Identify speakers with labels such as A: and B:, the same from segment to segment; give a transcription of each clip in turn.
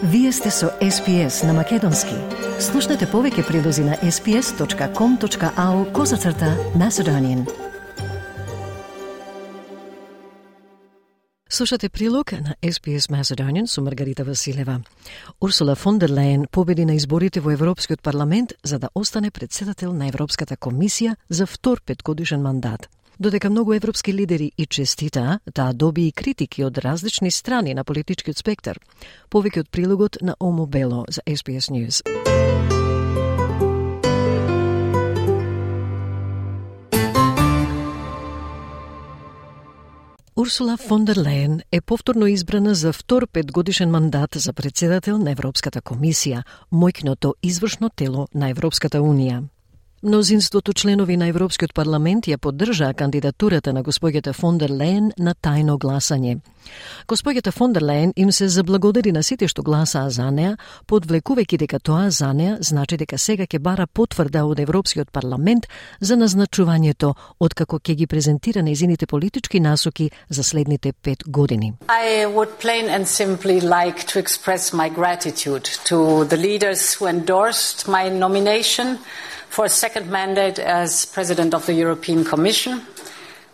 A: Вие сте со SPS на Македонски. Слушнете повеќе прилози на sps.com.au/Macedonian. Слушате прилог на SPS Macedonian со Маргарита Василева. Урсула фон дер Лајен победи на изборите во Европскиот парламент за да остане председател на Европската комисија за втор петгодишен мандат. Додека многу европски лидери и честитаа, таа доби и критики од различни страни на политичкиот спектар. Повеќе од прилогот на Омо Бело за SPS News. Урсула фон дер Лајен е повторно избрана за втор петгодишен мандат за председател на Европската комисија, мојкното извршно тело на Европската унија. Мнозинството членови на Европскиот парламент ја поддржаа кандидатурата на госпоѓата фон дер Лајен на тајно гласање. Госпоѓата фон дер Лајен им се заблагодари на сите што гласаа за неа, подвлекувајќи дека тоа за неа значи дека сега ќе бара потврда од Европскиот парламент за назначувањето, откако ќе ги презентира нејзините политички насоки за следните 5 години.
B: I would plain and simply like to express my gratitude to the leaders who endorsed my nomination for a second mandate as President of the European Commission.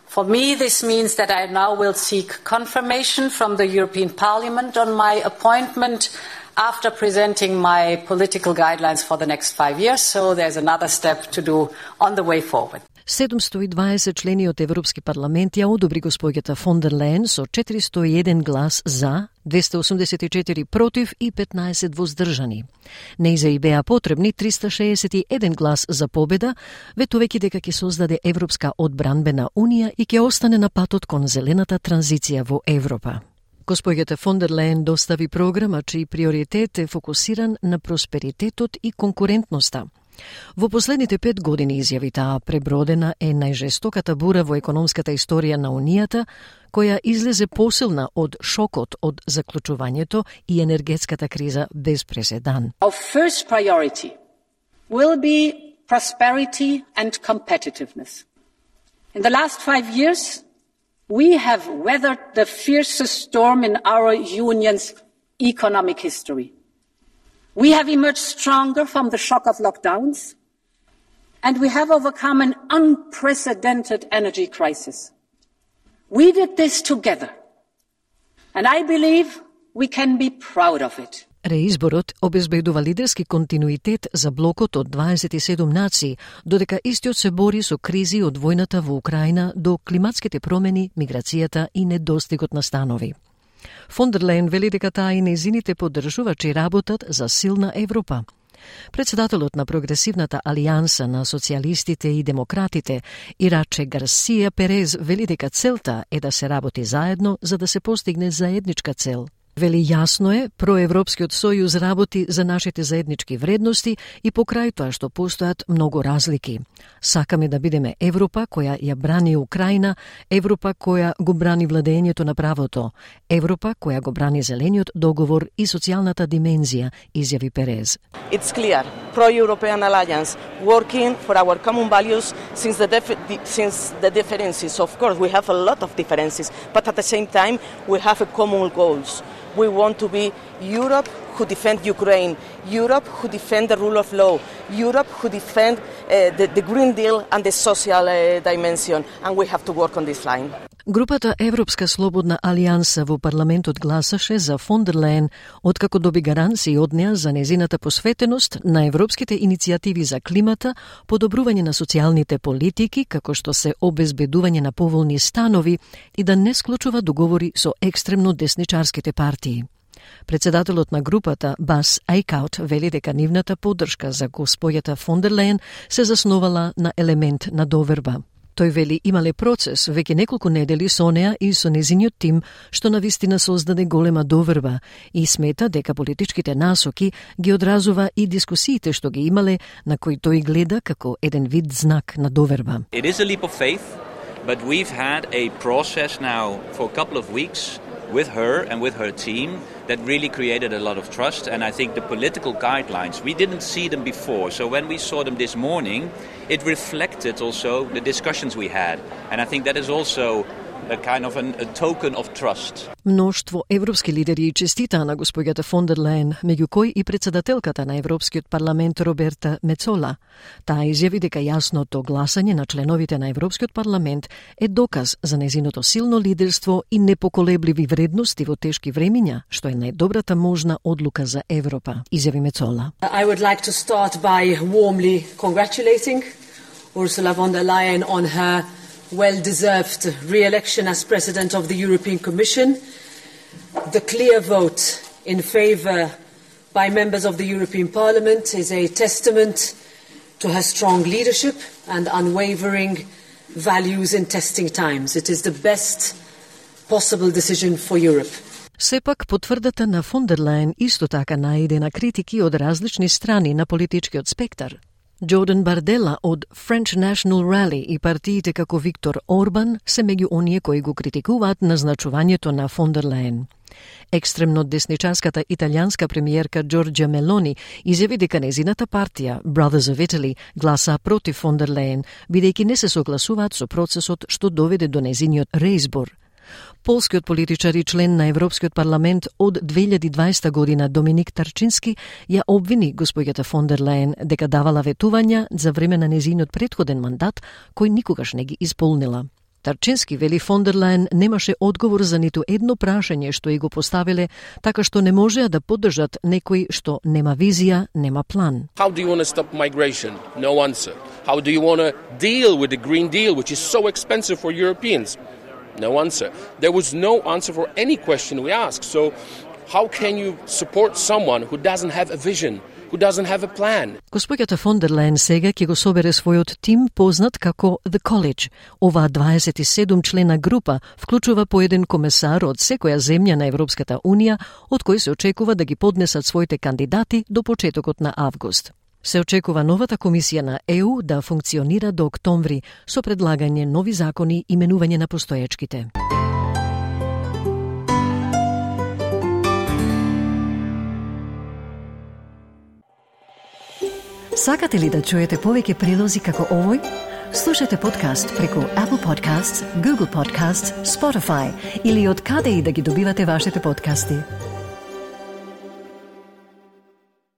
B: For me, this means that I now will seek confirmation from the European Parliament on my appointment after presenting my political guidelines for the next 5 years, so there's another step to do on the way forward.
A: 720 члени од Европски парламент ја одобри госпоѓата фон дер Лајен со 401 глас за, 284 против и 15 воздржани. Нејза и беа потребни 361 глас за победа, ветувајќи дека ќе создаде Европска одбранбена унија и ќе остане на патот кон зелената транзиција во Европа. Госпоѓата фон дер Лајен достави програма чиј приоритет е фокусиран на просперитетот и конкурентноста. Во последните 5 години, изјави таа, пребродена е најжестоката бура во економската историја на Унијата, која излезе посилна од шокот од заклучувањето и енергетската криза без преседан.
B: Our first priority will be prosperity and competitiveness. In the last 5 years, we have weathered the fiercest storm in our union's economic history. We have emerged stronger from the shock of lockdowns, and we have overcome an unprecedented energy crisis. We did this together, and I believe we can be proud of it.
A: Реизборот обезбедува лидерски континуитет за блокот од 27 нации, додека истиот се бори со кризи од војната во Украина до климатските промени, миграцијата и недостигот на станови. Фон дер Лајен вели дека таа и нејзините поддржувачи работат за силна Европа. Председателот на Прогресивната алијанса на социјалистите и демократите, Ираче Гарсија Перез, вели дека целта е да се работи заедно за да се постигне заедничка цел. Вели јасно е, проевропскиот сојуз работи за нашите заеднички вредности и покрај тоа што постојат многу разлики. Сакаме да бидеме Европа која ја брани Украина, Европа која го брани владењето на правото, Европа која го брани зелениот договор и социјалната димензија, изјави Перез.
C: It's clear, pro-European alliance, working for our common values since the differences. Of course, we have a lot of differences, but at the same time, we have a common goals. We want to be Europe who defend Ukraine, Europe who defend the rule of law, Europe who defend the Green Deal and the social dimension, and we have to work on this line.
A: Групата Европска слободна алијанса во парламентот гласаше за фон дер Лајен, откако доби гаранции од неа за незината посветеност на европските иницијативи за климата, подобрување на социјалните политики, како што се обезбедување на поволни станови и да не склучува договори со екстремно десничарските партии. Председателот на групата, Бас Айкаут, вели дека нивната поддршка за госпоѓата фон дер Лајен се засновала на елемент на доверба. Тој вели имале процес веќе неколку недели со неа и со незиниот тим, што навистина создаде голема доверба и смета дека политичките насоки ги одразува и дискусиите што ги имале, на кои тој гледа како еден вид знак на доверба.
D: It is a leap of faith, but we've had a process now for a couple of weeks with her and with her team that really created a lot of trust, and I think the political guidelines, we didn't see them before, so when we saw them this morning, it reflected also the discussions we had, and I think that is also a kind of a token of trust.
A: Мноштво европски лидери честитаа на госпоѓата фон дер Лајен, меѓу кои и председателката на Европскиот парламент Роберта Мецола. Таа изјави дека јасното гласање на членовите на Европскиот парламент е доказ за нејзиното силно лидерство и непоколебливи вредности во тешки времиња, што е најдобрата можна одлука за Европа, изјави Мецола.
E: I would like to start by warmly congratulating Ursula von der Leyen on her well-deserved re-election as President of the European Commission. The clear vote in favour by members of the European Parliament is a testament to her strong leadership and unwavering values in testing times. It is the best possible decision for Europe.
A: Сепак, потврдата на фон дер Лајен исто така најде на критики од различни страни на политичкиот спектар. Джордан Бардела од French National Rally и партиите како Виктор Орбан се меѓу оние кои го критикуваат назначувањето на фон дер Лајен. Екстремно десничарската италијанска премиерка Джорџа Мелони изјави дека нејзината партија Brothers of Italy гласа против фон дер Лајен, бидејќи не се согласуваат со процесот што доведе до нејзиниот реизбор. Полскиот политичар и член на Европскиот парламент од 2020 година Доминик Тарчински ја обвини госпоѓата фон дер Лајен дека давала ветувања за време на нејзиниот претходен мандат, кој никогаш не ги исполнила. Тарчински вели фон дер Лајен немаше одговор за ниту едно прашање што и го поставиле, така што не можеа да поддржат некој што нема визија, нема план.
F: How do you want to stop migration? No answer. How do you want to deal with the Green Deal, which is so expensive for Europeans? No answer. There was no answer for any question we asked. So how can you support someone who doesn't have a vision, who doesn't have a plan?
A: Госпоѓата фон дер Лајен сега ќе го собере својот тим познат како The College. Оваа 27 члена група вклучува по еден комесар од секоја земја на Европската Унија, од кој се очекува да ги поднесат своите кандидати до почетокот на август. Се очекува новата комисија на ЕУ да функционира до октомври со предлагање нови закони и менување на постоечките.
G: Сакате ли да чуете повеќе прилози како овој? Слушате подкаст преку Apple Podcasts, Google Podcasts, Spotify или од каде и да ги добивате вашите подкасти.